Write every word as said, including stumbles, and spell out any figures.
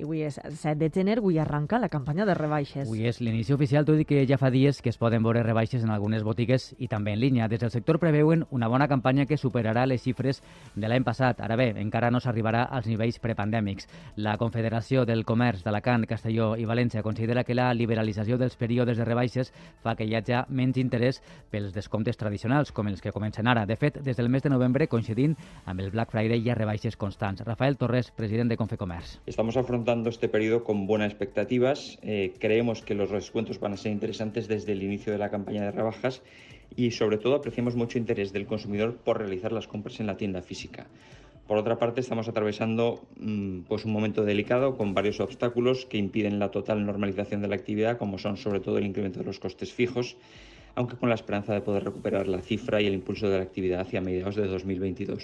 I avui és set de gener, avui arranca la campanya de rebaixes. Avui és l'inici oficial, tot i que ja fa dies que es poden veure rebaixes en algunes botigues i també en línia. Des del sector preveuen una bona campanya que superarà les xifres de l'any passat. Ara bé, encara no s'arribarà als nivells prepandèmics. La Confederació del Comerç d'Alacant, Castelló i València considera que la liberalització dels períodes de rebaixes fa que hi hagi menys interès pels descomptes tradicionals, com els que comencen ara. De fet, des del mes de novembre, coincidint amb el Black Friday, hi ha rebaixes constants. Rafael Torres, president de Confecomerç. Estamos afrontando este periodo con buenas expectativas. Eh, creemos que los descuentos van a ser interesantes desde el inicio de la campaña de rebajas y, sobre todo, apreciamos mucho interés del consumidor por realizar las compras en la tienda física. Por otra parte, estamos atravesando mmm, pues un momento delicado con varios obstáculos que impiden la total normalización de la actividad, como son sobre todo el incremento de los costes fijos, aunque con la esperanza de poder recuperar la cifra y el impulso de la actividad hacia mediados de dos mil veintidós.